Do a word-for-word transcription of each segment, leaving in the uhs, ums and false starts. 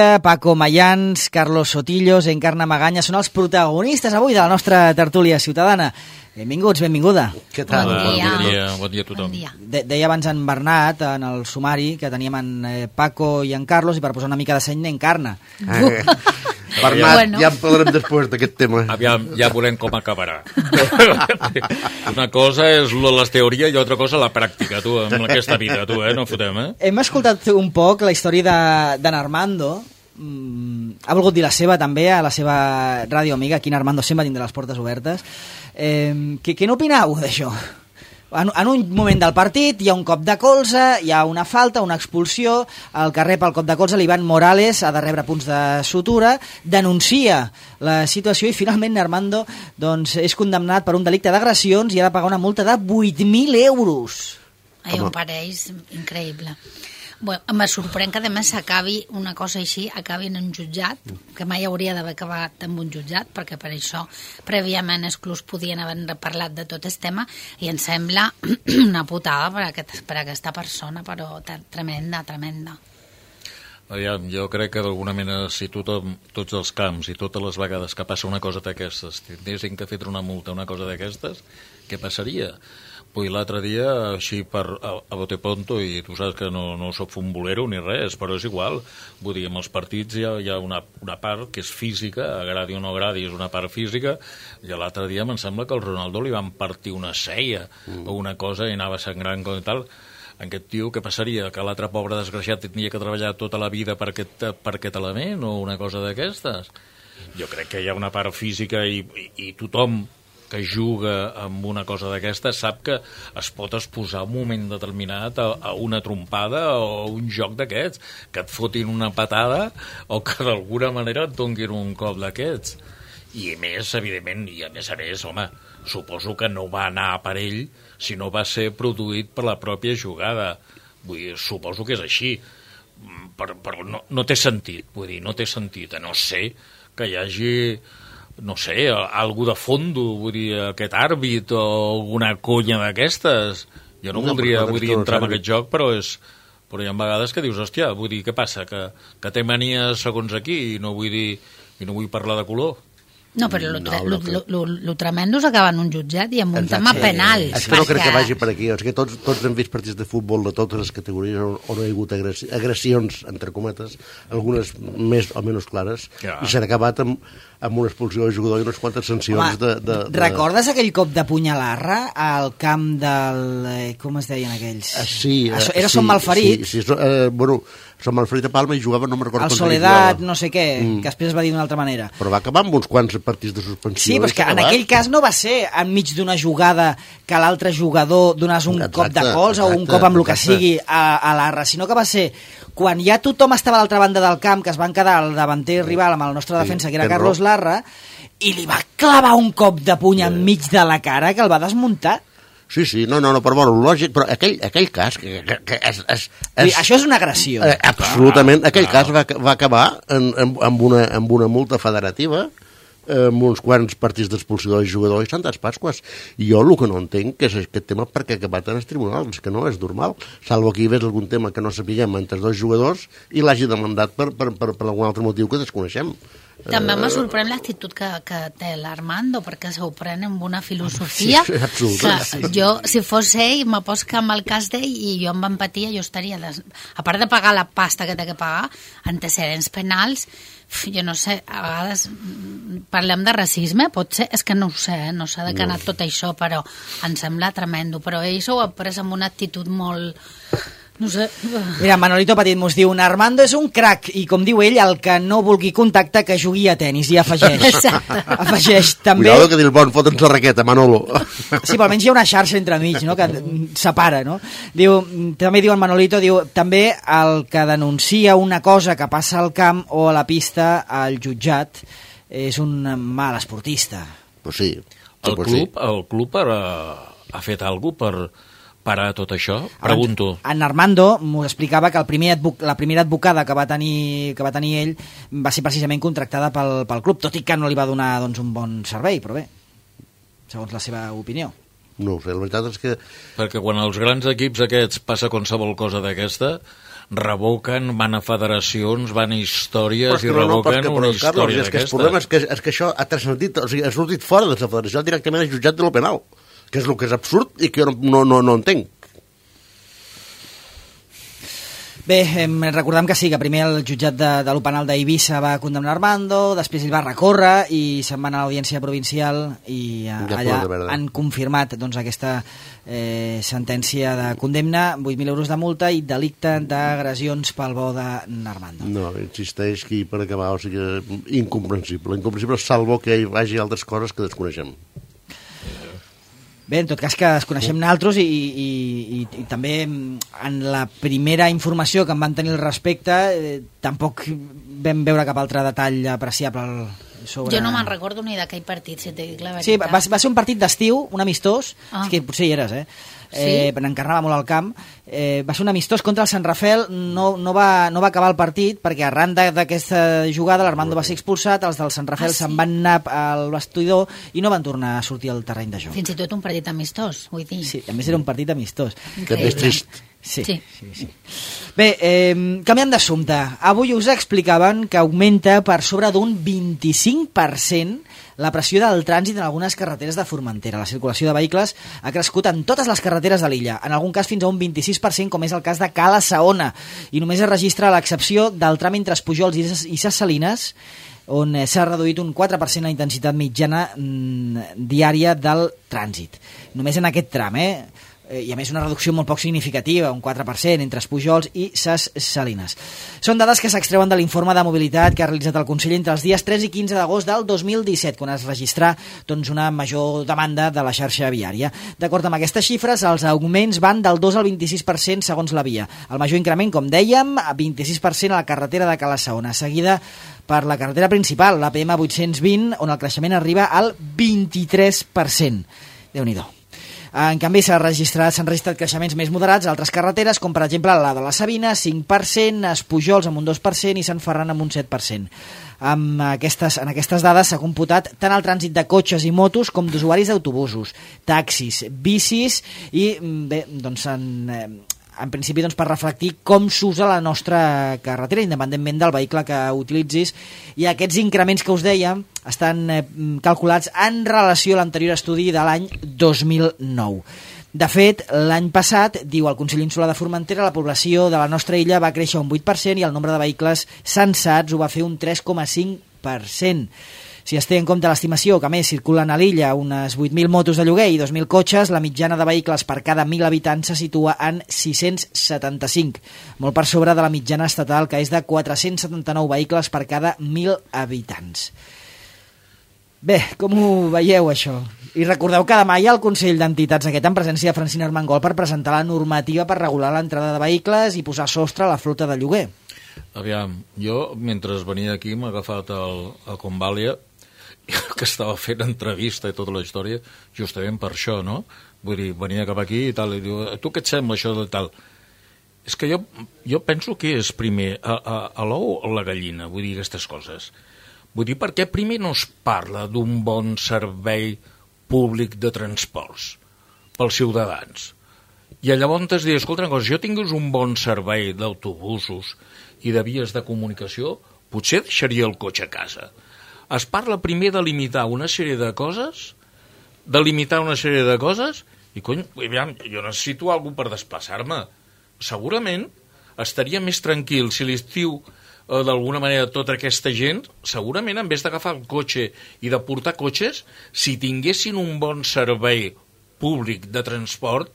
Paco Mayans, Carlos Sotillos, Encarna Maganya són els protagonistes avui de la nostra tertúlia ciutadana. Benvinguts, benvinguda. Què tal? Bon dia. Bon dia, bon dia a tothom. Bon dia. De deia abans en Bernat, en el sumari, que teníem en eh, Paco i en Carlos, i per posar una mica de seny n'Encarna. Eh, Bernat, Bueno. ja en parlarem després d'aquest tema. Aviam, ja veurem com acabarà. Una cosa és la teoria i altra cosa la pràctica, tu, amb aquesta vida, tu, eh? No fotem, eh? Hem escoltat un poc la història de- d'en Armando. Mm, ha volgut dir la seva també a la seva ràdio amiga. Aquí en Armando sempre tindrà les portes obertes. Eh, què, què n'opineu d'això? En, en un moment del partit hi ha un cop de colze, hi ha una falta, una expulsió, el que rep el cop de colze, l'Ivan Morales, ha de rebre punts de sutura, denuncia la situació i finalment Armando doncs, és condemnat per un delicte d'agressions i ha de pagar una multa de vuit mil euros. Ai, em pareix increïble. Bueno, me sorprèn que a més s'acabi una cosa així, acabi en un jutjat, que mai hauria d'haver acabat en un jutjat, perquè per això prèviament exclús podien haver parlat de tot el tema, i em sembla una putada per, aquest, per aquesta persona, però tremenda, tremenda. Aviam, jo crec que d'alguna manera si tothom, tots els camps i totes les vegades que passa una cosa d'aquestes tinguessin que fer una multa, una cosa d'aquestes, què passaria? Vull l'altre dia, així per, a, a bote pronto, i tu saps que no, no soc futbolero ni res, però és igual. Vull dir, en els partits hi ha, hi ha una, una part que és física, agradi o no agradi, és una part física, i l'altre dia em sembla que al Ronaldo li van partir una ceia mm. o una cosa i anava sangrant com i tal. Aquest tio, què passaria? Que l'altre pobre desgraciat tenia que treballar tota la vida per aquest, per aquest element o una cosa d'aquestes? Jo crec que hi ha una part física i, i, i tothom que juga amb una cosa d'aquesta sap que es pot exposar un moment determinat a, a una trompada o un joc d'aquests, que et fotin una patada o que d'alguna manera et donguin un cop d'aquests. I a més, evidentment, i a més a més, home, suposo que no va anar per ell, sinó va ser produït per la pròpia jugada. Vull dir, suposo que és així. Però, però no, no té sentit, vull dir, no té sentit, a no ser que hi hagi, no sé, algú de fondo, vull dir, aquest àrbit o alguna conya d'aquestes. Jo no, no voldria vull dir, entrar en aquest joc, però és... Però hi ha vegades que dius, hòstia, vull dir, què passa? Que, que té manies segons aquí i no vull dir, i no vull parlar de color. No, però lo, No, lo, no lo, lo, lo tremendo s'acaba en un jutjat i amb un Exacte. tema penal. És que no crec que vagi per aquí. És que tots, tots hem vist partits de futbol de totes les categories on, on hi ha hagut agressi agressions, entre cometes, algunes més o menys clares, Ja. i s'han acabat amb, amb una expulsió del jugador i unes quantes sancions. Home, de, de, de... recordes aquell cop de punyalarra al camp del... Eh, com es deien aquells? Ah, sí. Això, eh, era sí, Som Malferit. Sí, sí, eh, bueno, Som Malferit a Palma i jugava, no me'n recordo El contra qui Soledat, jugava. no sé què, Mm. que després es va dir d'una altra manera. Però va acabar amb uns quants partits de suspensió. Sí, però és i que s'ha en acabat. aquell cas no va ser enmig d'una jugada que l'altre jugador donàs un Exacte, cop de colze o un exacte, cop amb el que exacte. sigui a, a l'arra, sinó que va ser quan ja tothom estava a l'altra banda del camp, que es van quedar el davanter rival amb el nostre Sí, defensa, que era tens Carlos raó. Larra, i li va clavar un cop de puny enmig de la cara que el va desmuntar. Sí, sí, no, no, no, però bueno, lògic, però aquell, aquell cas que, que, que és, és, Vull dir, és, això és una agressió. eh, absolutament, aquell cas va, va acabar en, en, amb, una, amb una multa federativa, eh, amb uns quants partits d'expulsió del jugador i Santes Pasques. I jo el que no entenc que és aquest tema perquè ha acabat en els tribunals, que no és normal, salvo que hi hagués algun tema que no sapiguem entre els dos jugadors i l'hagi demandat per, per, per, per algun altre motiu que desconeixem. També me sorprèn l'actitud que, que té l'Armando, perquè s'ho pren amb una filosofia Sí, absolutament, que sí. jo, si fos ell, me pots que amb el cas d'ell i jo amb empatia, jo estaria... Des... A part de pagar la pasta que té que pagar, antecedents penals, jo no sé, a vegades mm, parlem de racisme, potser, és que no ho sé, eh? No sé de què ha anat tot això, però em sembla tremendo. Però ell s'ho ha pres amb una actitud molt... No sé... Mira, Manolito Petit mos diu Armando és un crac i com diu ell, el que no vulgui contacte que jugui a tenis i afegeix. Exacte. Afegeix també... Cuidado que diu el bon fotre'ns la raqueta, Manolo. Sí, però almenys hi ha una xarxa entremig, no?, que separa, no? Diu, també diu el Manolito, diu, també el que denuncia una cosa que passa al camp o a la pista al jutjat és un mal esportista. Pues sí. El pues club, el club ha, ha fet alguna cosa per parar tot això? Pregunto. En Armando m'ho explicava que el primer advoc la primera advocada que va tenir que va tenir ell va ser precisament contractada pel, pel club, tot i que no li va donar doncs, un bon servei, però bé, segons la seva opinió. No ho sé, la veritat és que... Perquè quan als grans equips aquests passa qualsevol cosa d'aquesta, revoquen, van a federacions, van a històries i no, no, revoquen però, una però, història Carlos, és que el d'aquestes. problema és que, és que això ha transcendit, o sigui, ha sortit fora de la federació directament al jutjat de lo penal, que és el que és absurd i que jo no, no, no, no entenc. Bé, eh, recordem que sí, que primer el jutjat de, de lo penal d'Eivissa va condemnar Armando, després ell va recórrer i se'n va anar a l'audiència provincial i eh, Ja allà fos de han confirmat doncs, aquesta eh, sentència de condemna, vuit mil euros de multa i delicte d'agressions pel bo d'Armando. No, insisteix que per acabar, o sigui, incomprensible. Incomprensible, salvo que hi vagi altres coses que desconeixem. Bé, en tot cas que es coneixem naltros i, i, i, i també en la primera informació que en van tenir al respecte eh, tampoc vam veure cap altre detall apreciable sobre... Jo no me'n recordo ni d'aquell partit, si t'he dit la veritat. Sí, va, va ser un partit d'estiu, un amistós, Ah. és que potser hi eres, eh? Sí? Eh, n'encarnava molt al camp. Eh, va ser un amistós contra el Sant Rafel, no, no, va, no va acabar el partit perquè arran de- d'aquesta jugada l'Armando va ser expulsat, els del Sant Rafel Ah, sí? se'n van anar al vestidor i no van tornar a sortir al terreny de joc. Fins i tot un partit amistós, vull dir. Sí, a més era un partit amistós. També és trist. Sí, Sí. sí, sí. Bé, eh, canviant d'assumpte, avui us explicaven que augmenta per sobre d'un vint-i-cinc per cent la pressió del trànsit en algunes carreteres de Formentera. La circulació de vehicles ha crescut en totes les carreteres de l'illa, en algun cas fins a un vint-i-sis per cent, com és el cas de Cala Saona, i només es registra l'excepció del tram entre Espujols i Ses- i Ses Salines, on eh, s'ha reduït un quatre per cent la intensitat mitjana mm, diària del trànsit. Només en aquest tram, eh? Eh, i a més una reducció molt poc significativa, un quatre per cent entre Espujols i Ses Salines. Són dades que s'extreuen de l'informe de mobilitat que ha realitzat el Consell entre els dies tres i quinze d'agost del dos mil disset, quan es registrà doncs, una major demanda de la xarxa viària. D'acord amb aquestes xifres, els augments van del dos al vint-i-sis per cent segons la via. El major increment, com dèiem, a vint-i-sis per cent a la carretera de Cala Saona, seguida per la carretera principal, l'A P M vuit-cents vint, on el creixement arriba al vint-i-tres per cent. Déu-n'hi-do. En canvi, s'han registrat, s'han registrat creixements més moderats a altres carreteres, com per exemple la de la Sabina, cinc per cent, Espujols amb un dos per cent i Sant Ferran amb un set per cent. Amb aquestes, en aquestes dades s'ha computat tant el trànsit de cotxes i motos com d'usuaris d'autobusos, taxis, bicis i, bé, doncs, en, en principi doncs, per reflectir com s'usa la nostra carretera, independentment del vehicle que utilitzis, i aquests increments que us deia estan eh, calculats en relació a l'anterior estudi de l'any dos mil nou. De fet, l'any passat, diu el Consell Insular de Formentera, la població de la nostra illa va créixer un vuit per cent i el nombre de vehicles censats ho va fer un tres coma cinc per cent. Si es té en compte l'estimació que a més circulen a l'illa unes vuit mil motos de lloguer i dos mil cotxes, la mitjana de vehicles per cada mil habitants se situa en sis-cents setanta-cinc, molt per sobre de la mitjana estatal, que és de quatre-cents setanta-nou vehicles per cada mil habitants. Bé, com ho veieu, això? I recordeu que demà hi ha el Consell d'Entitats aquest en presència de Francina Armengol per presentar la normativa per regular l'entrada de vehicles i posar sostre a la flota de lloguer. Aviam, jo, mentre venia aquí, m'ha agafat el, el Convàlia, que estava fent entrevista i tota la història, justament per això, no? Vull dir, venia cap aquí i tal, i diu, tu què et sembla això de tal? És que jo, jo penso que és primer a, a, a l'ou o la gallina, vull dir, aquestes coses. Vull dir, per què primer no es parla d'un bon servei públic de transports pels ciutadans? I llavors es diu, escolta una cosa, si jo tingués un bon servei d'autobusos i de vies de comunicació, potser deixaria el cotxe a casa. Es parla primer de limitar una sèrie de coses, de limitar una sèrie de coses, i cony, aviam, jo necessito algú per desplaçar-me. Segurament estaria més tranquil si l'estiu, eh, d'alguna manera, tota aquesta gent, segurament, en vez d'agafar el cotxe i de portar cotxes, si tinguessin un bon servei públic de transport,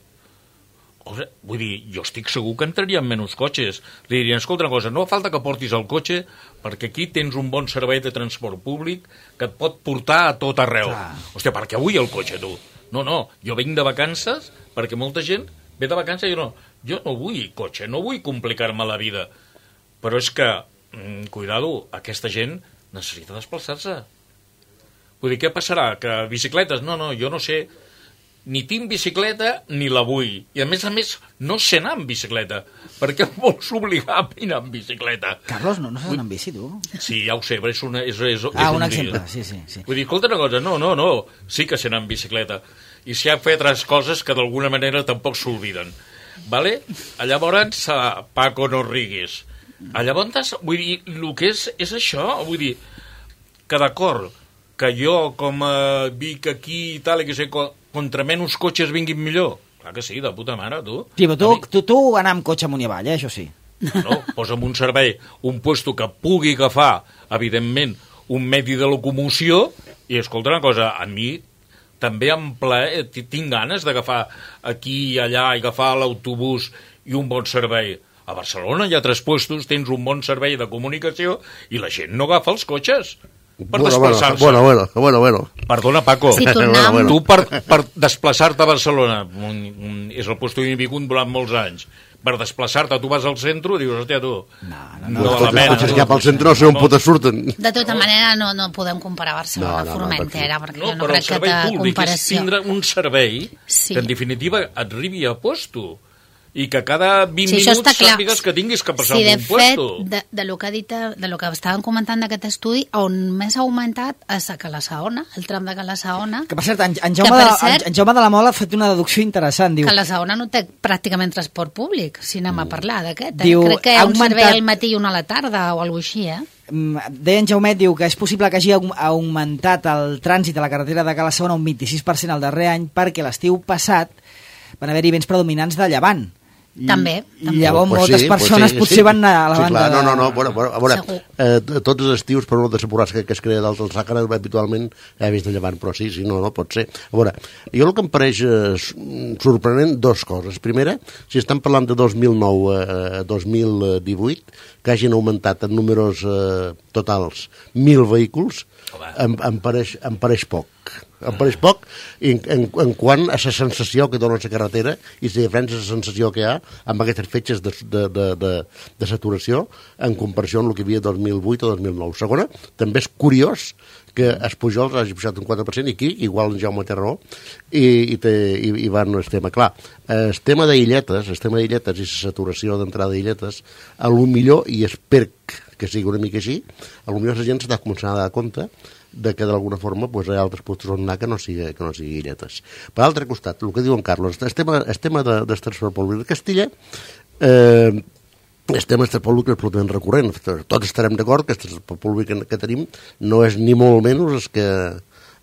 o sigui, vull dir, jo estic segur que entrarien menys cotxes. Li dirien, escolta una cosa, no fa falta que portis el cotxe perquè aquí tens un bon servei de transport públic que et pot portar a tot arreu. Clar. Hòstia, per què vull el cotxe, tu? No, no, jo vinc de vacances perquè molta gent ve de vacances i jo no, jo no vull cotxe, no vull complicar-me la vida. Però és que, mm, cuidado, aquesta gent necessita desplaçar-se. Vull dir, què passarà? Que bicicletes? No, no, jo no sé... Ni tinc bicicleta ni la vull. I a més a més no sé anar amb bicicleta. Per què em vols obligar a anar amb bicicleta? Carlos, no, no saps anar amb bici, tu? Sí, ja ho sé, però és, una, és, és, és Ah, un un exemple, dia. sí, sí, sí. Vull dir, escolta una cosa, no, no, no, sí que sé anar amb bicicleta. I si ha fet altres coses que d'alguna manera tampoc s'olviden. vale? Llavors, uh, Paco, no riguis. Llavors, vull dir, el que és, és això, vull dir, que d'acord, que jo, com a Vic aquí i tal, i que sé, contra menys cotxes vinguin millor. Clar que sí, de puta mare, tu. Sí, però tu, tu, tu anar amb cotxe amunt i avall, eh, això sí. No, posa'm un servei, un puesto que pugui agafar, evidentment, un medi de locomoció, i escolta una cosa, a mi també em plaer, tinc ganes d'agafar aquí i allà i agafar l'autobús i un bon servei. A Barcelona hi ha tres puestos, tens un bon servei de comunicació i la gent no agafa els cotxes per bueno, desplaçar-se. Bueno, bueno, bueno, bueno. Perdona, Paco, si tornem... bueno, bueno. tu per, per desplaçar-te a Barcelona, un, un, és el puesto que he vingut durant molts anys, per desplaçar-te, tu vas al centre i dius, hòstia, tu... No, no, No, no. no els cotxes cap al centre no sé on potes surten. De tota manera, no, no podem comparar Barcelona No, no, a no, Formentera, perquè No, jo no però el crec que servei de públic és comparació... tindre un servei Sí. que, en definitiva, et arribi a puesto. I que cada vint Sí, això està minuts clar. sàpigues que tinguis que passar Sí, de un fet, puesto. de, de, lo que ha dit, de lo que estàvem comentant d'aquest estudi, on més ha augmentat és a Cala-saona, el tram de Cala-saona, Que per cert, en, en, Que, Jaume, per de, cert- en, en Jaume de la Mola ha fet una deducció interessant. Diu, Cala-saona no té pràcticament transport públic, si anem a parlar d'aquest. Eh? Diu, Crec que hi ha ha un servei augmentat- al matí i un a la tarda o alguna cosa així, eh? mm, deia en Jaumet, diu que és possible que hagi aug- augmentat el trànsit a la carretera de Cala-saona un vint-i-sis per cent el darrer any perquè l'estiu passat van haver-hi vents predominants de llevant. I, També, I també. llavors Pues moltes sí, persones pues sí, potser sí. van anar a la sí, banda... clar, no, de- no, no, bueno, bueno, a veure, Segur. eh, tots els estius, per no desapurar-se que es crea dalt del Sàhara, habitualment he vist de llevant, però sí, sí, no, no, pot ser. A veure, jo el que em pareix eh, sorprenent, dos coses. Primera, si estan parlant de dos mil nou a dos mil divuit, que hagin augmentat en números eh, totals mil vehicles, em, em, pareix, em pareix poc. Em pareix poc en, en, en quant a la sensació que dona la carretera i la diferència de la sensació que hi ha amb aquestes fetges de, de, de, de, de saturació en comparació amb el que hi havia dos mil vuit o dos mil nou. Segona, també és curiós que es Pujols hagi pujat un quatre per cent i aquí, igual en Jaume té raó, i, i, té, i, i van el tema. Clar, el tema d'illetes, el tema d'illetes i la saturació d'entrada d'illetes, a lo millor, i espero que sigui una mica així, a lo millor la gent s'està començant a dar compte de que d'alguna forma pues, hi ha altres puestos on anar que no sigui, que no sigui illetes. Per l'altre costat, el que diu en Carlos, el tema, el tema de, del transport públic de Castilla, eh, el tema del transport públic és absolutament recurrent. Tots estarem d'acord que el transport públic que, que tenim no és ni molt menys el que,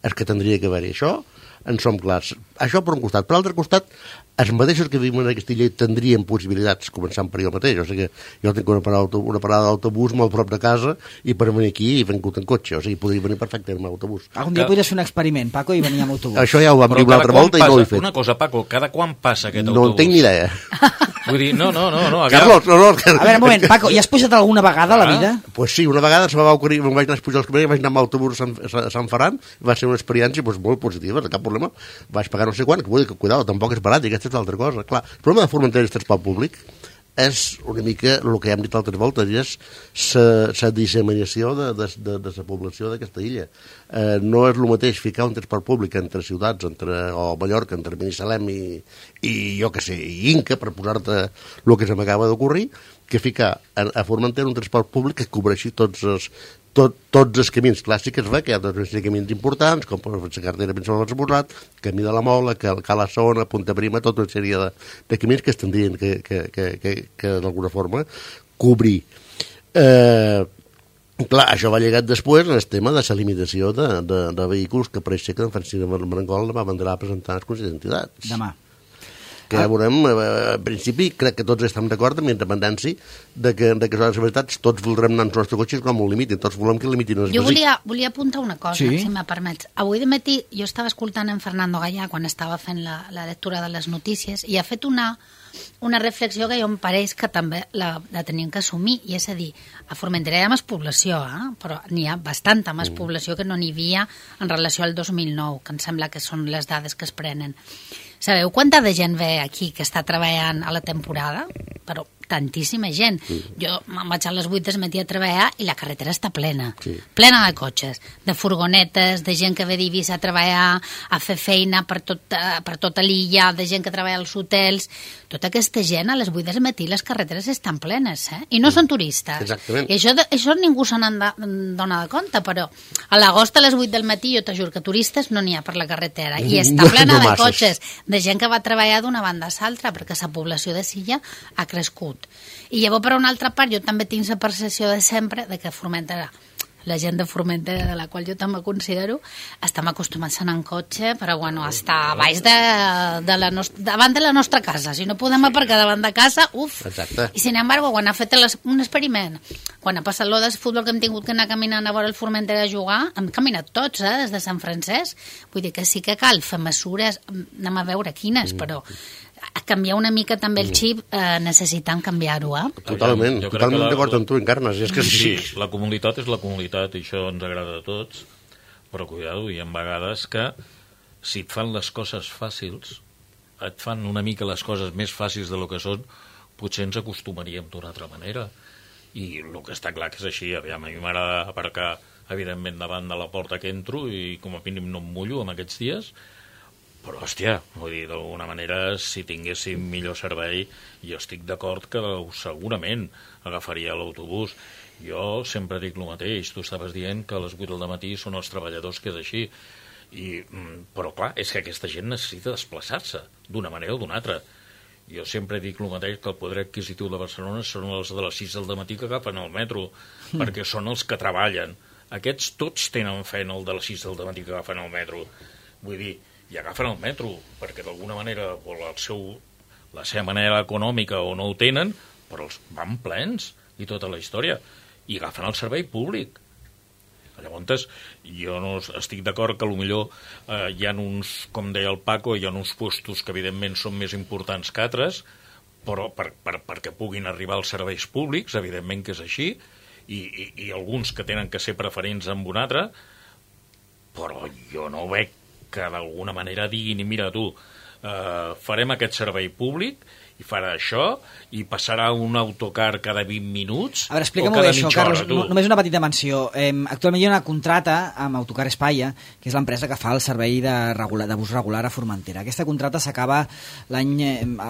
el que tindria que haver-hi. Això en som clars. Això per un costat. Per l'altre costat, els mateixos que vivim a Castilla tindrien possibilitats, començant per jo mateix. O sigui, jo tinc una parada, una parada d'autobús molt prop de casa i per venir aquí he vingut en cotxe. O sigui, podria venir perfectament amb autobús. Algun dia Que- podries fer un experiment, Paco, i venir amb autobús. Això ja ho vam Però dir una cada altra quan volta i no ho he passa- fet. Una cosa, Paco, cada quan passa aquest No autobús? en tinc ni idea. Vull dir, no, no, no. no Carlos, no, no. A veure, un moment, Paco, ja has pujat alguna vegada a la Ah. vida? Pues sí, una vegada se me va ocorrir, me'n vaig anar a pujar els camins, vaig anar amb autobús a Sant, a Sant Ferran, va ser una experiència pues, molt positiva, cap problema. Vaig pagar no sé quant, que vull dir que, cuidado, tampoc és barat, i aquesta és l'altra cosa. Clar, el problema de Formentera i el transport públic és una mica el que hem dit altres voltes, i és la disseminació de, de, de, de la població d'aquesta illa. Eh, no és el mateix ficar un transport públic entre ciutats, entre, o Mallorca, entre Binissalem i, i jo que sé, i Inca, per posar-te el que se m'acaba d'ocorrir, que ficar a, a Formentera un transport públic que cobreixi tots els, tot, tots els camins clàssics, va, que hi ha tots els camins importants, com la carretera principal del Borrat, Camí de la Mola, Cala-saona, Punta Prima, tota una sèrie de, de camins que es tindrien que, que, que, que, que d'alguna forma cobrir. Eh, clar, això va llegat després al tema de la limitació de, de, de vehicles que pareix ser que en Francisca Marangol va mandar a presentar les consells d'entitats. Demà. Que ja veurem, eh, en principi, crec que tots estem d'acord amb la independència de que, de que són les veritats, tots voldrem anar als nostres cotxes com ho limitin, tots volem que limitin els Jo bàsics. volia, volia apuntar una cosa, Sí? si me permets. Avui de matí jo estava escoltant en Fernando Gallà quan estava fent la, la lectura de les notícies i ha fet una, una reflexió que jo em pareix que també la, la tenim que assumir, i és a dir, a Formentera hi ha més població, eh? Però n'hi ha bastanta més mm. població que no n'hi havia en relació al dos mil nou, que em sembla que són les dades que es prenen. Sabeu quanta de gent ve aquí que està treballant a la temporada? Però tantíssima gent. Sí. Jo me'n vaig a les vuit del matí a treballar i la carretera està plena, sí. plena de cotxes, de furgonetes, de gent que ve d'Eivissa a treballar, a fer feina per, tot, per tota l'illa, de gent que treballa als hotels. Tota aquesta gent a les vuit del matí les carreteres estan plenes, eh? I no són turistes. Exactament. I això, això ningú se n'en dona de compte, però a l'agost a les vuit del matí jo t'ajuro que turistes no n'hi ha per la carretera i està plena no de masses. cotxes, de gent que va treballar d'una banda a l'altra, perquè la població de Silla ha crescut. I llavors, per una altra part, jo també tinc la percepció de sempre de que Formentera, la gent de Formentera, de la qual jo també considero, estem acostumats a anar en cotxe, però bueno, està a baix de, de la nostra, davant de la nostra casa. Si no podem aparcar davant de casa, uf! Exacte. I sin embargo, quan ha fet les, un experiment, quan ha passat l'O de futbol que hem tingut que anar caminant a veure el Formentera a jugar, hem caminat tots, eh, des de Sant Francesc. Vull dir que sí que cal fer mesures, anem a veure quines, mm. però a canviar una mica també el xip, eh, necessitant canviar-ho, eh? Totalment, jo totalment la, d'acord amb tu, Encarnes, és que sí. Sí, la comunitat és la comunitat i això ens agrada a tots, però cuidado, hi ha vegades que si et fan les coses fàcils, et fan una mica les coses més fàcils de lo que són, potser ens acostumaríem d'una altra manera. I el que està clar que és així, aviam, a mi m'agrada aparcar evidentment davant de la porta que entro i com a mínim no em mullo en aquests dies, però, hòstia, vull dir, d'alguna manera, si tinguéssim millor servei, jo estic d'acord que segurament agafaria l'autobús. Jo sempre dic el mateix, tu estaves dient que a les vuit del matí són els treballadors, que és així, I, però clar, és que aquesta gent necessita desplaçar-se d'una manera o d'una altra. Jo sempre dic el mateix, que el poder adquisitiu de Barcelona són els de les sis del matí que agafen el metro, mm. perquè són els que treballen. Aquests tots tenen feina, el de les sis del matí que agafen el metro. Vull dir, i agafen el metro, perquè d'alguna manera o el seu, la seva manera econòmica o no ho tenen, però els van plens i tota la història, i agafen el servei públic. Llavors, jo no estic d'acord que potser eh, hi ha uns, com deia el Paco, hi ha uns puestos que evidentment són més importants que altres, però per, per, perquè puguin arribar als serveis públics, evidentment que és així, i, i, i alguns que tenen que ser preferents amb un altre, però jo no veig que d'alguna manera diguin, mira tu, eh, farem aquest servei públic i farà això, i passarà un autocar cada vint minuts a veure, explica-m'ho bé, això, Carlos, hora, només una petita menció. Eh, actualment hi ha una contrata amb Autocar Espaia, que és l'empresa que fa el servei de, regular, de bus regular a Formentera. Aquesta contrata s'acaba l'any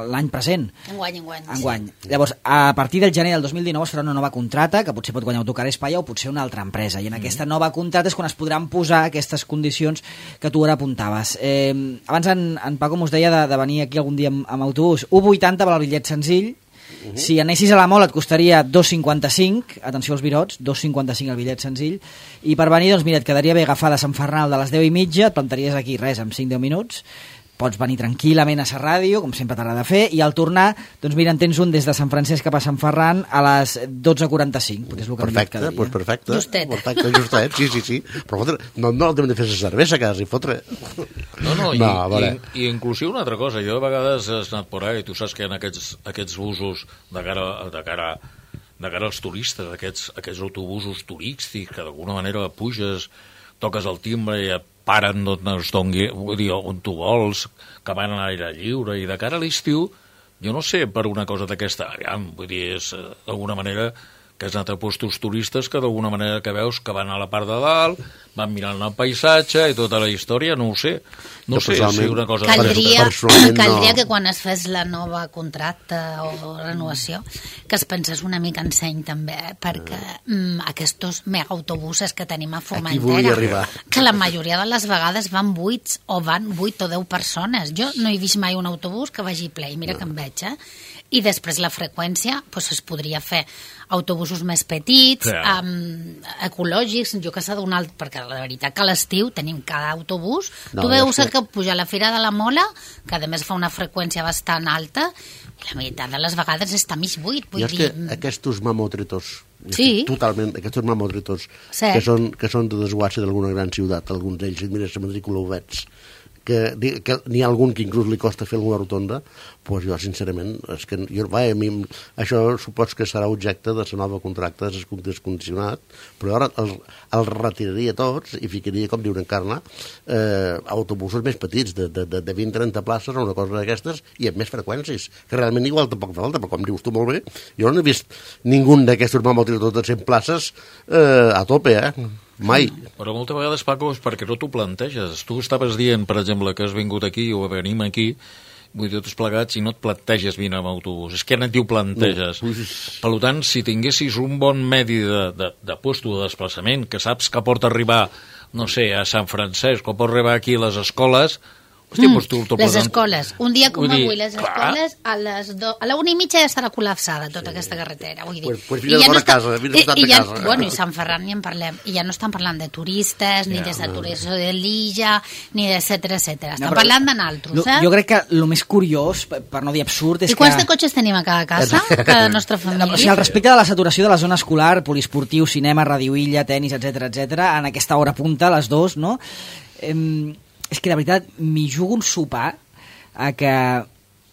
l'any present. Enguany, enguany. Enguany. Sí. Llavors, a partir del gener del dos mil dinou es farà una nova contrata, que potser pot guanyar Autocar Espaia o potser una altra empresa, i en mm. aquesta nova contrata és quan es podran posar aquestes condicions que tu ara apuntaves. Eh, abans en, en Paco mos deia de, de venir aquí algun dia amb, amb autobús. u vuitanta per al bitllet senzill. Uh -huh. Si anessis a la Mola et costaria dos cinquanta-cinc, atenció als virots, dos cinquanta-cinc el bitllet senzill, i per venir, doncs mira, et quedaria bé agafar de Sant Fernal de les deu i mitja, et plantaries aquí res, en cinc deu minuts, pots venir tranquil·lament a la ràdio, com sempre t'agrada fer, i al tornar, doncs mira, en tens un des de Sant Francesc cap a Sant Ferran a les dotze quaranta-cinc, perquè és el que perfecte, quedaria. Pues perfecte, justet. perfecte, justet, sí, sí, sí. Però fotre, no, no el hem de fer la cervesa, quasi, fotre. No, no, i, no i, i inclusive una altra cosa, jo a vegades he anat por ahí, tu saps que hi ha aquests, aquests busos de cara, de cara, de cara als turistes, aquests, aquests autobusos turístics, que d'alguna manera puges, toques el timbre i et paren on, vull dir, on tu vols, que van a l'aire lliure, i de cara a l'estiu, jo no sé, per una cosa d'aquesta, vull dir, és d'alguna manera que has anat a postos turistes que d'alguna manera que veus que van a la part de dalt, van mirant el paisatge i tota la història, no ho sé. No jo sé si una cosa... Caldria, caldria que quan es fes la nova contracta o renovació, que es pensés una mica en seny també, eh? perquè mm, aquests megaautobusses que tenim a Formentera, que la majoria de les vegades van vuits o van vuit o deu persones. Jo no he vist mai un autobús que vagi ple, i mira no. que em veig, eh? I després la freqüència pues, es podria fer autobusos més petits, sí. um, ecològics, jo que sé d'un alt, perquè la veritat que a l'estiu tenim cada autobús, no, tu veus que pujar a la Fira de la Mola, que a més fa una freqüència bastant alta, i la meitat de les vegades està mig buit. Vull I és dir... que aquests mamotretos, sí. totalment, aquests mamotretos, sí. que són, que són de desguasse d'alguna gran ciutat, alguns d'ells, mira, la matrícula ho veig, que, que n'hi ha algun que inclús li costa fer alguna rotonda, doncs jo, sincerament, és que jo, vaja, a mi, això supos que serà objecte de la nova contracte descondicionat, però ara el, el retiraria tots i ficaria, com diu Encarna, eh, autobusos més petits, de, de, de vint a trenta places o una cosa d'aquestes, i amb més freqüències, que realment igual tampoc fa falta, però com dius tu molt bé, jo no he vist ningú d'aquestos mamòtils de totes cent places eh, a tope, eh? Mai. Però moltes vegades, Paco, és perquè no t'ho planteges. Tu estaves dient, per exemple, que has vingut aquí o venim aquí, vull dir, tots plegats, i no et planteges vine amb autobús. És que no t'ho planteges. No. Per tant, si tinguessis un bon medi de, de, de puesto de desplaçament, que saps que pot arribar, no sé, a Sant Francesc, o pot arribar aquí a les escoles... Hòstia, mm, doncs tu, tu les escoles. Un dia com vull avui, dir, les clar. escoles a les do... a la una i mitja ja estarà col·lapsada tota sí. aquesta carretera. Vull dir. Pues, pues vine ja no està... casa, vine I, i ja, casa. Bueno, i Sant Ferran ni en parlem. I ja no estan parlant de turistes, ni ja, de no. saturació de l'illa, ni d'etcètera, etcètera. Estan No, però, parlant de naltros, eh? Jo crec que el més curiós, per no dir absurd, és I quants que... de cotxes tenim a cada casa? Cada nostra família? O sigui, al respecte de la saturació de la zona escolar, poliesportiu, cinema, radioilla, tenis, etcètera, etcètera, en aquesta hora punta, les dos, no? Eh, és que, de veritat, m'hi jugo un sopar a que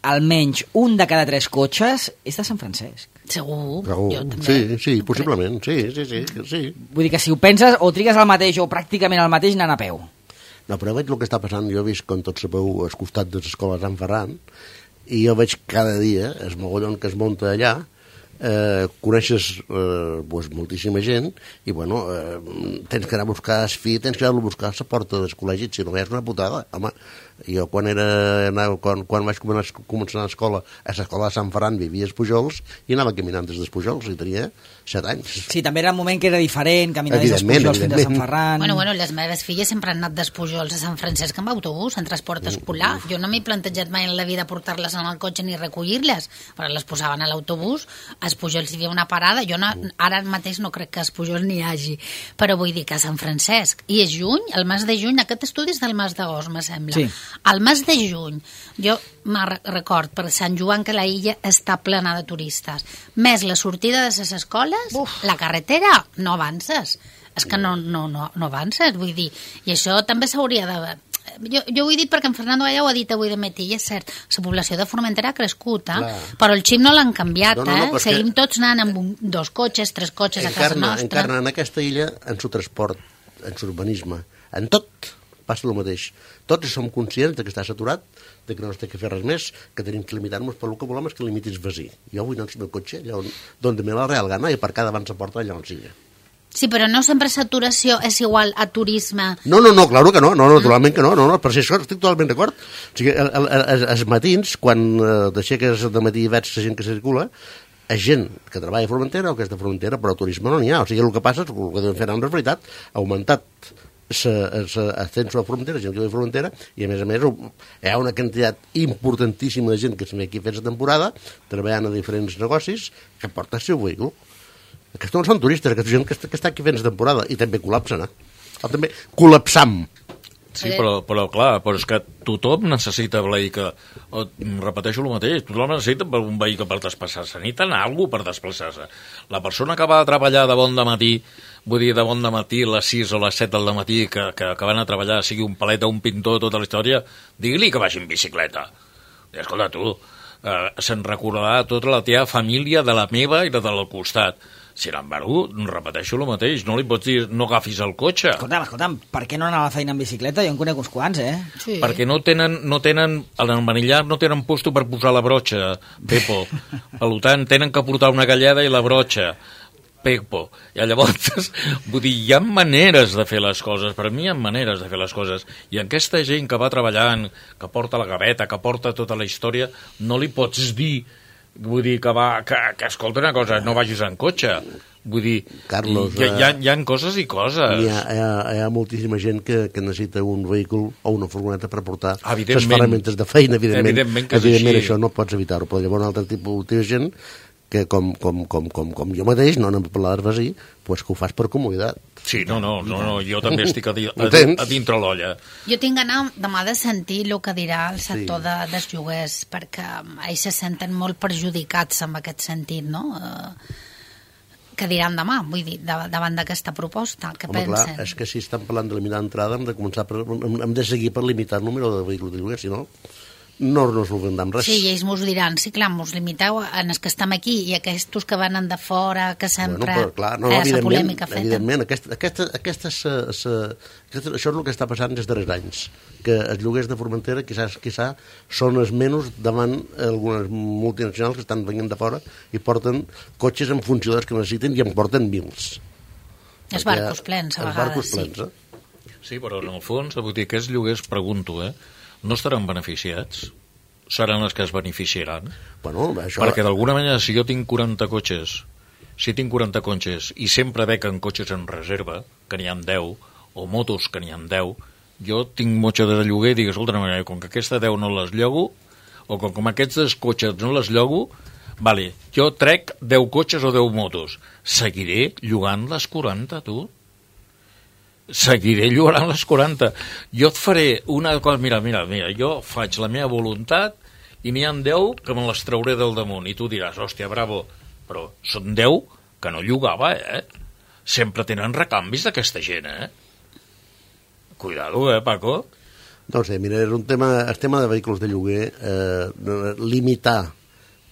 almenys un de cada tres cotxes és de Sant Francesc. Segur, Segur. jo també. Sí, sí, possiblement, sí, sí, sí, sí. Vull dir que si ho penses, o trigues el mateix o pràcticament el mateix anant a peu. No, però veig el que està passant, jo he vist, com tots sabeu, al costat de l'escola Sant Ferran, i jo veig cada dia el mogollon que es munta allà, eh, coneixes eh, pues, moltíssima gent i bueno, eh, tens que anar a buscar el fi, tens que anar a buscar a la porta del col·legi, si no és una putada. Home, jo quan era anava, quan, quan vaig començar, començar a l'escola, a l'escola de Sant Ferran vivia als Pujols i anava caminant des dels Pujols i tenia set anys. Sí, també era un moment que era diferent, caminar des dels Pujols fins a Sant Ferran. Bueno, bueno, les meves filles sempre han anat dels Pujols a Sant Francesc amb autobús, en transport escolar. Jo no m'he plantejat mai en la vida portar-les en el cotxe ni recollir-les, però les posaven a l'autobús, als Pujols hi havia una parada, jo no, ara mateix no crec que als Pujols n'hi hagi, però vull dir que a Sant Francesc, i és juny, el mes de juny, aquest estudi és del mes d'agost, me sembla. Sí. Al mes de juny, jo me'n record per Sant Joan que la illa està plena de turistes, més la sortida de les escoles, Uf. la carretera, no avances. És que no, no, no, no avances, vull dir. I això també s'hauria de... Jo, jo ho he dit perquè en Fernando Gallà ho ha dit avui de matí, i és cert, la població de Formentera ha crescut, eh? però el xip no l'han canviat, no, no, no, eh? Seguim que... tots anant amb un, dos cotxes, tres cotxes encarna, a casa nostra. Encarna en aquesta illa, en su transport, en su urbanisme, en tot passa el mateix. Tots som conscients de que està saturat, de que no es té que fer res més, que tenim que limitar-nos, però el que volem és que limitis vací. Jo vull anar al meu cotxe, allà on, on me la real gana, i per cada abans la porta allà on sigui. Sí, però no sempre saturació és igual a turisme. No, no, no, claro que no, no, naturalment que no, no, no, per si això estic totalment d'acord. O sigui, el, el, el, els matins, quan eh, d'aixeques de matí i veig la gent que circula, és gent que treballa a Formentera o que és de Formentera, però turisme no n'hi ha. O sigui, el que passa és que el que devem fer ara en realitat ha augmentat l'ascenso a Formentera, gent que ve a Formentera, i a més a més hi ha una quantitat importantíssima de gent que se ve aquí fent la temporada, treballant a diferents negocis, que porta el seu vehicle. Aquests no són turistes, aquesta gent que està, que està aquí fent la temporada, i també col·lapsen, eh? O també col·lapsam. Sí, però, però clar, però és que tothom necessita vehicle. O, repeteixo el mateix, tothom necessita un vehicle per desplaçar-se. Necessiten alguna per desplaçar-se. La persona que va a treballar de bon de matí, vull dir, de bon de matí, a les sis o les set del matí, que, que, que van a treballar, sigui un paleta, un pintor, tota la història, digui-li que vagi en bicicleta. I escolta, tu, eh, se'n recordarà tota la teva família, de la meva i de del costat. Sin embargo, repeteixo el mateix, no li pots dir no agafis el cotxe. Escolta'm, escolta'm, per què no anar a la feina en bicicleta? Jo en conec uns quants, eh? Sí. Perquè no tenen, no tenen, en el manillar no tenen puesto per posar la brotxa, Pepo. Per tant, tenen que portar una galleda i la brotxa, Pepo. I llavors, vull dir, hi ha maneres de fer les coses, per mi hi ha maneres de fer les coses. I aquesta gent que va treballant, que porta la gaveta, que porta tota la història, no li pots dir... Vull dir que va, que, que escolta una cosa, no vagis en cotxe. Vull dir, Carlos, hi, hi, ha, hi ha coses i coses. Hi ha, hi ha, hi ha moltíssima gent que, que necessita un vehicle o una furgoneta per portar Evidentment. les ferramentes de feina, evidentment. Evidentment que és evidentment així. Això no pots evitar-ho, però llavors un altre tipus de gent que com, com, com, com, com jo mateix, no anem a parlar d'arvasí, pues que ho fas per comoditat. Sí, no, no, no, no jo també estic a, di, a, Entens? a dintre l'olla. Jo tinc ganes demà de sentir el que dirà el sector Sí. de, dels lloguers, perquè ells se senten molt perjudicats en aquest sentit, no? Uh, què diran demà, vull dir, davant d'aquesta proposta, què Home, pensen? Clar, és que si estan parlant de limitar l'entrada hem de començar per, hem, hem de seguir per limitar el número de vehicles de lloguer, si no, no nos ho vendam res. Sí, i ells mos diran, sí, clar, mos limiteu en els que estem aquí i aquests que venen de fora, que sempre... Bueno, però, clar, no, eh, evidentment, polèmica feta. evidentment aquesta, aquesta, aquesta, sa, sa, aquesta, això és el que està passant des darrers anys, que els lloguers de Formentera quizás, quizá són els menys davant algunes multinacionals que estan venint de fora i porten cotxes en funció dels que necessiten i en porten mils. Els barcos plens, a vegades, barcos plens, sí. Eh? Sí, però en el fons, vull dir, aquests lloguers, pregunto, eh, no estaran beneficiats? Seran els que es beneficiaran? Bueno, això... Perquè d'alguna manera, si jo tinc quaranta cotxes, si tinc quaranta cotxes i sempre becen cotxes en reserva, que n'hi ha deu, o motos que n'hi ha deu, jo tinc motxa de lloguer i dic, escolta, com que aquesta deu no les llogo, o com que aquests cotxes no les llogo, vale, jo trec deu cotxes o deu motos. Seguiré llogant les quaranta, tu? Seguiré llogant les quaranta. Jo et faré una cosa, mira, mira, mira, jo faig la meva voluntat i n'hi ha deu que me les trauré del damunt. I tu diràs, hòstia, bravo, però són deu que no llogava, eh? Sempre tenen recanvis d'aquesta gent, eh? Cuidado, eh, Paco? No sé, mira, és un tema, el tema de vehicles de lloguer, eh, limitar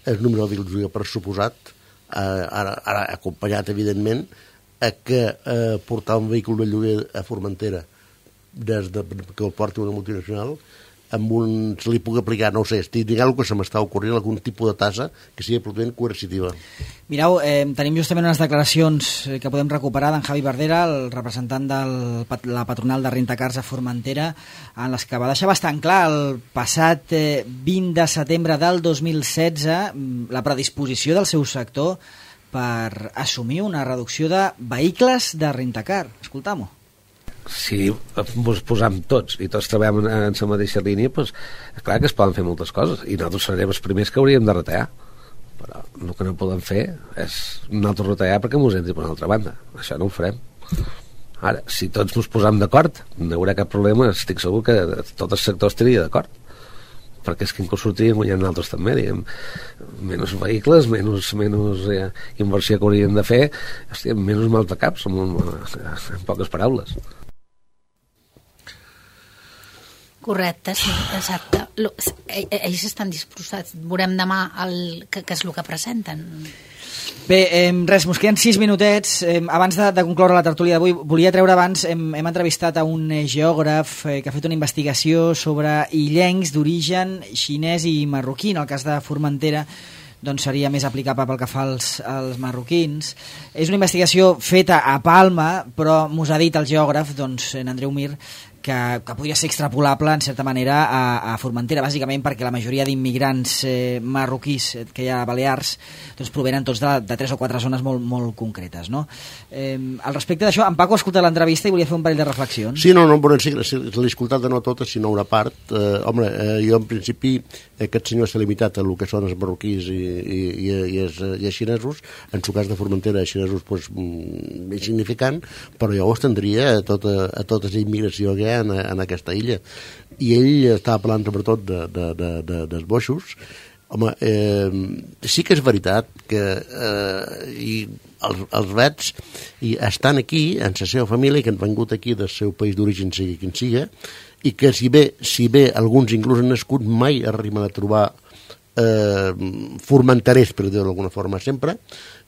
el número de vehicles de lloguer per suposat, eh, ara, ara acompanyat, evidentment, a que eh, portar un vehicle de lloguer a Formentera des de, que el porti una multinacional amb un, se li pugui aplicar, no ho sé, estic dient alguna que se m'està ocorrent, algun tipus de tassa que sigui absolutament coercitiva. Mireu, eh, tenim justament unes declaracions que podem recuperar d'en Javi Verdera, el representant de la patronal de Rentacars a Formentera, en les que va deixar bastant clar el passat eh, vint de setembre del dos mil setze la predisposició del seu sector per assumir una reducció de vehicles de Rentacar. Escoltam-ho. Si ens posam tots i tots treballem en, en la mateixa línia, doncs, clar que es poden fer moltes coses i nosaltres serem els primers que hauríem de retallar, però el que no podem fer és nosaltres retallar perquè mos entri per una altra banda. Això no ho farem. Ara, si tots ens posam d'acord, no hi haurà cap problema, estic segur que tot el sector estaria d'acord, perquè és que inclús sortiríem guanyant nosaltres també, diguem, menys vehicles, menys, menys eh, inversió que hauríem de fer, hòstia, menys mal de caps, en, en poques paraules. Correcte, sí, exacte. Ells estan disposats. Veurem demà el, què, què és el que presenten. Bé, eh, res, mos queden sis minutets. Eh, abans de, de concloure la tertúlia d'avui, volia treure abans, hem, hem entrevistat a un eh, geògraf eh, que ha fet una investigació sobre illencs d'origen xinès i marroquí. En el cas de Formentera, doncs seria més aplicable pel que fa als, als marroquins. És una investigació feta a Palma, però mos ha dit el geògraf, doncs, en Andreu Mir, que, que podria ser extrapolable en certa manera a, a Formentera, bàsicament perquè la majoria d'immigrants eh, marroquís que hi ha a Balears doncs provenen tots de, de tres o quatre zones molt, molt concretes, no? Eh, al respecte d'això, en Paco ha escoltat l'entrevista i volia fer un parell de reflexions. Sí, no, no, però sí, si l'he escoltat de no tota, sinó una part. Eh, home, eh, jo en principi aquest senyor s'ha limitat a el que són els marroquís i, i, i, i, els, i els xinesos, en el cas de Formentera, els xinesos pues, insignificant, però jo ho estendria a tota, a tota la immigració que hi ha en, en aquesta illa. I ell estava parlant sobretot de, de, de, de, dels boixos. Home, eh, sí que és veritat que eh, i els, els vets i estan aquí en la seva família, que han vengut aquí del seu país d'origen, sigui quin siga, i que si bé, si bé alguns inclús han nascut, mai arriben a trobar eh, formenterers, per dir-ho d'alguna forma, sempre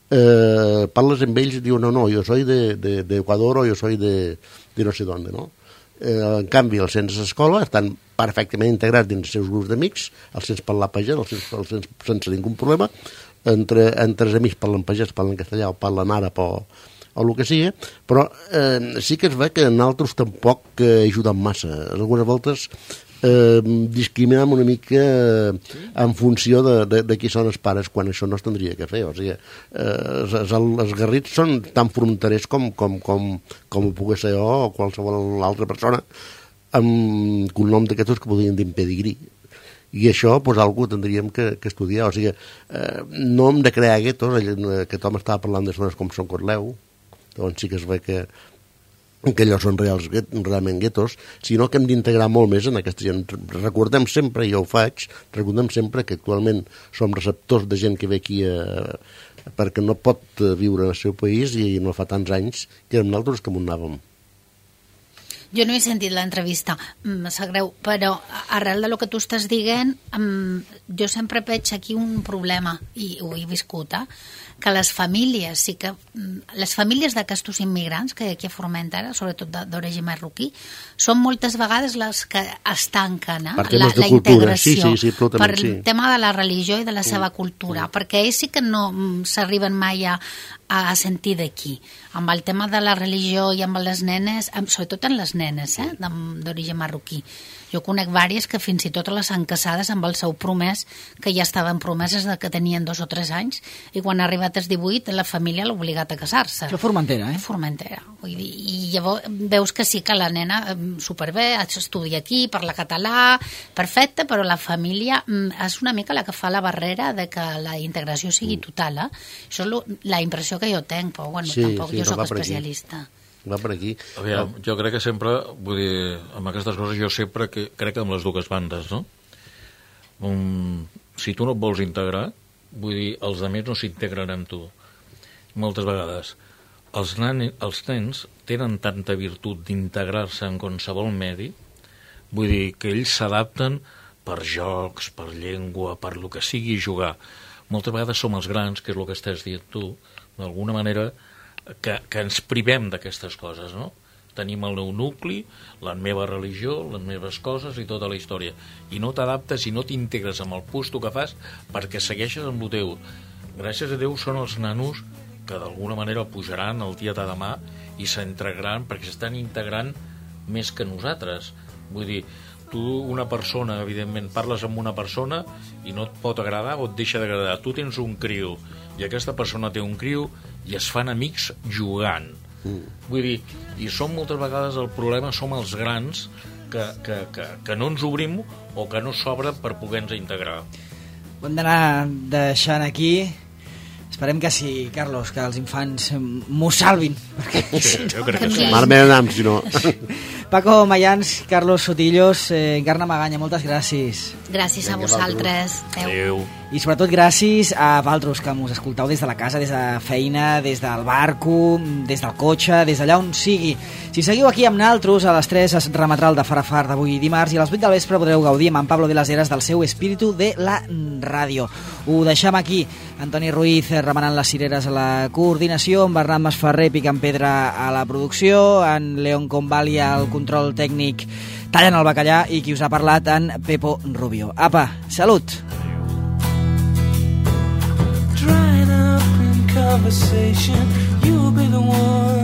eh, parles amb ells i diuen no, no, jo soy de, de, de Ecuador o jo soy de, de no sé d'on, no? Eh, en canvi, els sents d'escola estan perfectament integrats dins els seus grups d'amics, els sents parlar pagès, els sents, els sents sense ningú problema, entre, entre els amics parlen pagès, parlen castellà o parlen àrab o, o el que sigui, però eh, sí que es ve que en altres tampoc eh, ajuden massa. Algunes voltes eh, discriminem una mica eh, en funció de, de, de qui són els pares, quan això no es tindria que fer. O sigui, eh, els, els garrits són tan fronterers com, com, com, com ho pugui ser jo o qualsevol altra persona amb cognom d'aquests que podrien dir pedigrí. I això, doncs, algú tindríem que, que estudiar. O sigui, eh, no hem de crear guetos. Aquest home estava parlant de zones com Son Corleu, on sí que es ve que que allò són reals, realment guetos, sinó que hem d'integrar molt més en aquesta gent. Recordem sempre, i jo ho faig, recordem sempre que actualment som receptors de gent que ve aquí a, perquè no pot viure en el seu país i no fa tants anys que érem nosaltres que m'ho anàvem. Jo no he sentit l'entrevista, em sap greu, però arrel de lo que tu estàs dient, jo sempre veig aquí un problema, i ho he viscut, eh? Que les famílies, sí que les famílies d'aquestos immigrants que hi ha aquí a Formentera, sobretot d'origen marroquí, són moltes vegades les que es tanquen, eh? Per la, temes de la cultura, sí, integració, sí, sí, per el sí. tema de la religió i de la seva cultura, perquè ells sí que no s'arriben mai a, a sentir d'aquí. Amb el tema de la religió i amb les nenes, sobretot en les nenes, eh? d'origen marroquí. Jo conec vàries que fins i tot les han casades amb el seu promès, que ja estaven promeses de que tenien dos o tres anys, i quan ha arribat als divuit la família l'ha obligat a casar-se. Això Formentera, eh? Formentera. Vull dir, i llavors veus que sí que la nena superbé, estudia aquí, parla català, perfecte, però la família és una mica la que fa la barrera de que la integració sigui total. Eh? Això és lo, la impressió que jo tenc, però bueno, sí, tampoc sí, jo no soc especialista. Aquí. Va per aquí. Aviam, jo crec que sempre, vull dir, amb aquestes coses jo sempre que, crec que amb les dues bandes, no? Um, si tu no et vols integrar, vull dir, els altres no s'integren amb tu. Moltes vegades. Els, nan, els nens tenen tanta virtut d'integrar-se en qualsevol medi, vull dir, que ells s'adapten per jocs, per llengua, per lo que sigui jugar. Moltes vegades som els grans, que és el que estàs dient tu, d'alguna manera, que, que ens privem d'aquestes coses, no? Tenim el meu nucli, la meva religió, les meves coses i tota la història. I no t'adaptes i no t'integres amb el puesto que fas perquè segueixes amb el teu. Gràcies a Déu són els nanos que d'alguna manera pujaran el dia de demà i s'integraran perquè s'estan integrant més que nosaltres. Vull dir, tu, una persona, evidentment, parles amb una persona i no et pot agradar o et deixa d'agradar. Tu tens un criu i aquesta persona té un criu i es fan amics jugant. Mm. Vull dir, i som moltes vegades el problema, som els grans que, que, que, que no ens obrim o que no s'obren per poder-nos integrar. Ho hem d'anar deixant aquí. Esperem que sí, Carlos, que els infants m'ho salvin. Perquè, sí, si no, jo crec que sí. Malament anam, si no. Paco Mayans, Carlos Sotillos, eh, Encarna Maganya, moltes gràcies. Gràcies a vosaltres. Adéu. I sobretot gràcies a vosaltres que mos escoltau des de la casa, des de feina, des del barco, des del cotxe, des d'allà on sigui. Si seguiu aquí amb naltros, a les tres es remetrà el de Far a Far d'avui dimarts i a les vuit del vespre podreu gaudir amb en Pablo de las Heras del seu espíritu de la ràdio. Ho deixem aquí. Antoni Ruiz remenant les cireres a la coordinació, en Bernat Masferrer picant pedra a la producció, en León Convali al control tècnic tallant el bacallà i qui us ha parlat, en Pepo Rubio. Apa, salut! Drying up in conversation, you'll be the one